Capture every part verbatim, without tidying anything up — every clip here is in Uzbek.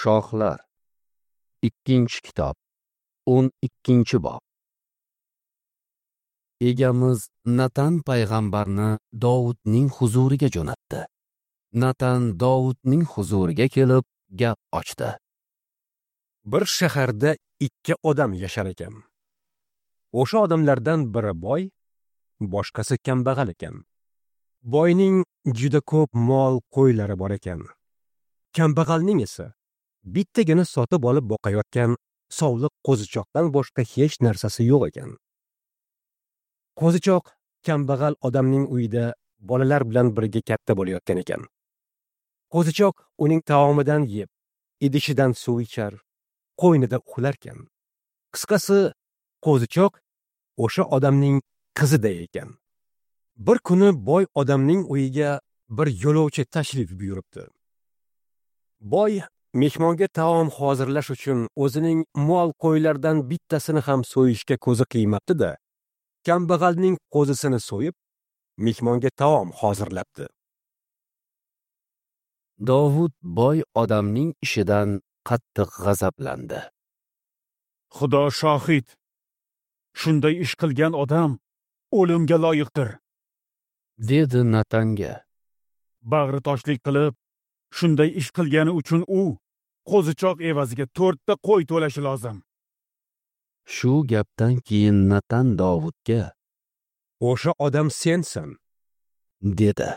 Shohlar. Ikkinchi kitob, o'n ikkinchi bob. Egamiz Natan payg'ambarni Dovudning huzuriga jo'natdi. Natan Dovudning huzuriga kelib gap ochdi. Bir shaharda ikki odam yashar ekan. O'sha odamlardan biri boy, boshqasi kambag'al ekan. Boyning juda ko'p mol qo'ylari bor ekan. Kambag'alning esa bittagina sotib olib boqayotgan sovliq qo'zichoqdan boshqa hech narsasi yo'q ekan. Qo'zichoq kambag'al odamning uyida bolalar bilan birga katta bo'layotgan ekan. Qo'zichoq uning taomidan yeb, idishidan suv ichar, qo'ynida uxlarkan. Qisqasi, qo'zichoq o'sha odamning qiziday ekan. Bir kuni boy odamning uyiga bir yo'lovchi tashrif buyuribdi. Boy mehmonga taom hozirlash uchun o'zining mol qo'ylardan bittasini ham so'yishga ko'zi qiymabdi-da, kambag'alning qo'zisini so'yib, mehmonga taom hozirlabdi. Dovud boy odamning ishidan qattiq g'azablandi. Xudo shohid, shunday ish qilgan odam o'limga loyiqdir, dedi Natanga. Bag'ri toshlik qilib, shunday ish qilgani uchun u qo'zichoq evaziga to'rtta qo'y to'lashi lozim. Shu gapdan keyin Natan Dovudga: "O'sha odam sensan", dedi.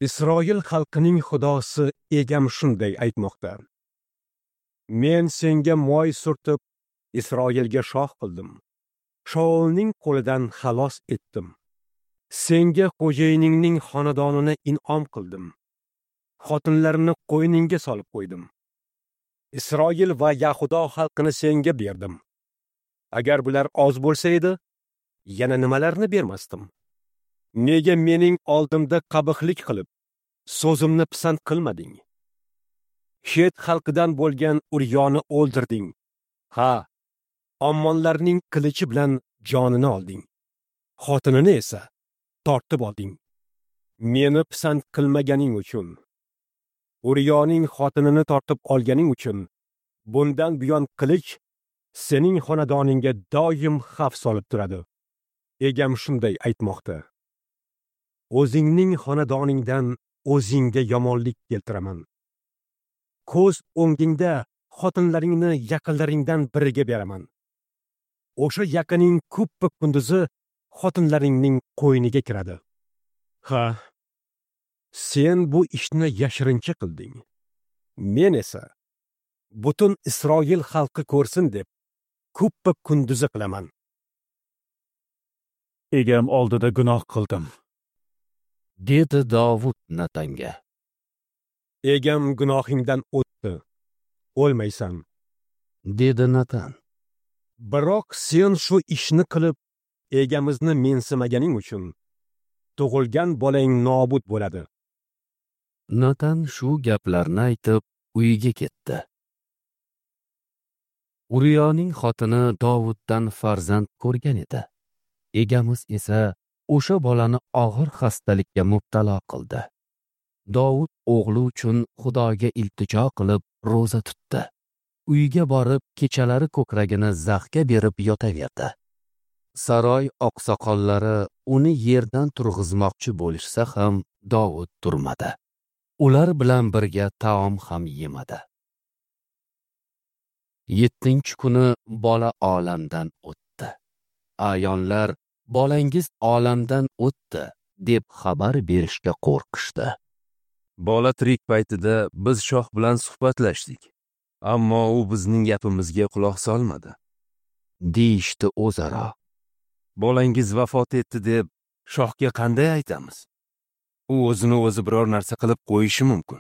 Isroil xalqining Xudosi egam shunday aytmoqda: Men senga moy surtib, Isroilga shoh qildim. Shaulning qo'lidan xalos etdim. Senga xo'jayiningning xonadonini in'om qildim. Xotinlarini qo'yningga solib qo'ydim. Isroil va Yahudo xalqini senga berdim. Agar bular oz bo'lsa edi, yana nimalarni bermasdim? Nega mening oldimda qabihlik qilib, so'zimni pisand qilmading? Xet xalqidan bo'lgan Uryoni o'ldirding. Ha, Ammonlarning qilichi bilan jonini olding. Xotinini esa tortib olding. Meni pisand qilmaganing uchun, Uryoning xotinini tortib olganing uchun bundan buyon qilich sening xonadoningga doim xavf solib turadi. Egam shunday aytmoqda. O'zingning xonadoningdan o'zingga yomonlik keltiraman. Ko'z o'ngingda xotinlaringni yaqinlaringdan biriga beraman. O'sha yaqining kuppa kunduzi xotinlaringning qo'yniga kiradi. Ha, sen bu ishni yashirincha qilding. Men esa butun Isroil xalqi ko'rsin deb kuppa kunduzi qilaman. Egam oldida gunoh qildim, dedi Dovud Natanga. Egam gunohingdan o'tdi, o'lmaysan, dedi Natan. Biroq sen shu ishni qilib, egamizni mensimaganing uchun tug'ilgan bolang nobud bo'ladi. Natan shu gaplarni aytib uyiga ketdi. Uriyoning xotini Dovuddan farzand ko'rgan edi. Egamiz esa o'sha bolani og'ir xastalikka mubtalo qildi. Dovud o'g'li uchun Xudoga iltijo qilib ro'za tutdi. Uyga borib kechalari ko'kragini zaxga berib yotaverdi. Saroy oqsoqollari uni yerdan turg'izmoqchi bo'lishsa ham Dovud turmadi. Ular bilan birga taom ham yemadi. Yettinchi kuni bola olamdan o'tdi. Ayonlar bolangiz olamdan o'tdi deb xabar berishga qo'rqishdi. Bola tirik paytida biz shoh bilan suhbatlashdik, ammo u bizning gapimizga quloq solmadi, deyishdi o'zaro. Bolangiz vafot etdi deb shohga qanday aytamiz? U o'zini o'zi biror narsa qilib qo'yishi mumkin.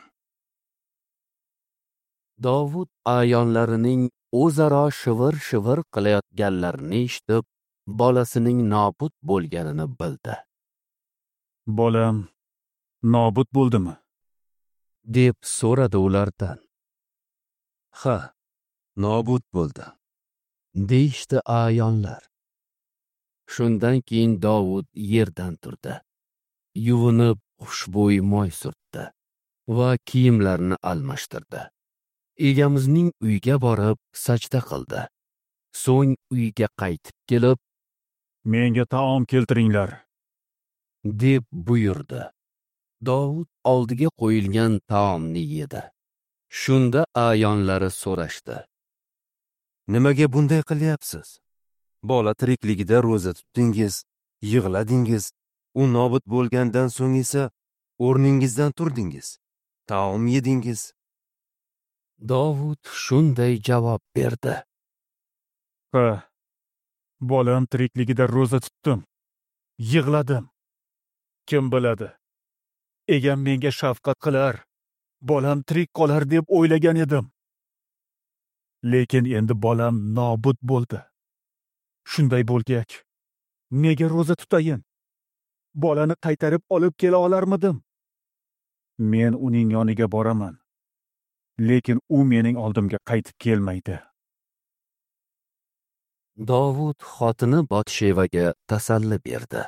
Dovud ayonlarining o'zaro shivir-shivir qilayotganlarini eshitib, bolasining nobud bo'lganini bildi. Bolam nobud bo'ldimi? deb so'radi ulardan. Ha, nobud bo'ldi, deyishdi ayonlar. Shundan keyin Dovud yerdan turdi. Yuvinib, xushbo'y moy surtdi va kiyimlarini almashtirdi. Egamizning uyiga borib sajda qildi. So'ng uyga qaytib kelib, "Menga taom keltiringlar", deb buyurdi. Dovud oldiga qo'yilgan taomni yedi. Shunda a'yonlari so'rashdi: "Nimaga bunday qilyapsiz? Bola tirikligida ro'za tutdingiz, yig'ladingiz, u nobud bo'lgandan so'ng esa o'rningizdan turdingiz, taom yedingiz." Dovud shunday javob berdi: "Ha, bolam tirikligida ro'za tutdim, yig'ladim. Kim biladi, egam menga shafqat qilar, bolam tirik qolar deb o'ylagan edim. Lekin endi bolam nobud bo'ldi. Shunday bo'lgach, nega ro'za tutayin? Bolani qaytarib olib kela olarmidim? Men uning yoniga boraman, lekin u mening oldimga qaytib kelmaydi." Dovud xotini Botshevaga tasalli berdi.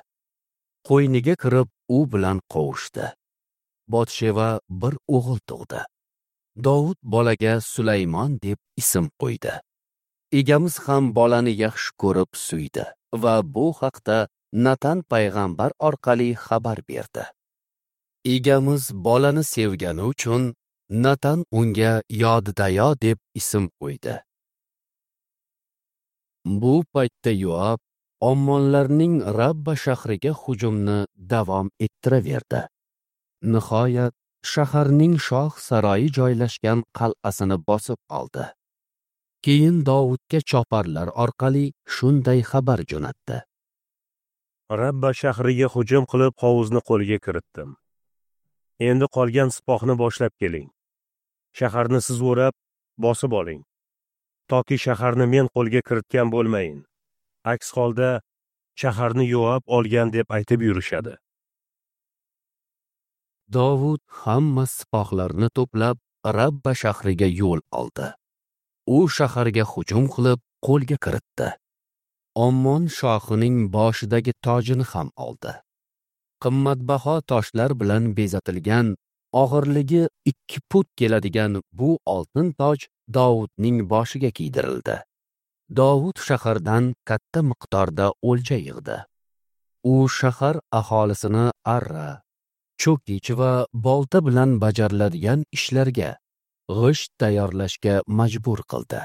Qo'yniga kirib u bilan qovushdi. Botsheva bir o'g'il tug'di. Dovud bolaga Sulaymon deb ism qo'ydi. Egamiz ham bolani yaxshi ko'rib suydi va bu haqda Natan payg'ambar orqali xabar berdi. Egamiz bolani sevgani uchun Natan unga Yodidayo deb ism qo'ydi. Bu paytda Yoab Ommonlarning Rabba shahriga hujumni davom ettiraverdi. Nihoyat shaharning shoh saroyi joylashgan qal'asini bosib oldi. Keyin Dovudga choparlar orqali shunday xabar jo'natdi: "Rabba shahriga hujum qilib, hovuzni qo'lga kiritdim. Endi qolgan sipohni boshlab keling. Shaharni siz o'rab, bosib oling. Toki shaharni men qo'lga kiritgan bo'lmayin. Aks holda shaharni Yoab olgan deb aytib yurishadi." Dovud hamma sipohlarni to'plab Rabba shahriga yo'l oldi. U shaharga hujum qilib qo'lga kiritdi. Ommon shohining boshidagi tojini ham oldi. Qimmatbaho toshlar bilan bezatilgan, og'irligi ikki put keladigan bu oltin toj Dovudning boshiga kiydirildi. Dovud shahardan katta miqdorda o'lja yig'di. U shahar aholisini arra, cho'kich va bolta bilan bajariladigan ishlarga, g'isht tayyorlashga majbur qildi.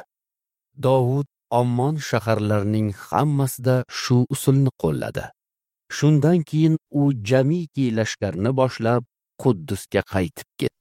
Dovud Ommon shaharlarining hammasida shu usulni qo'lladi. Shundan keyin u jamiki lashkarni boshlab Quddusga qaytib ketdi.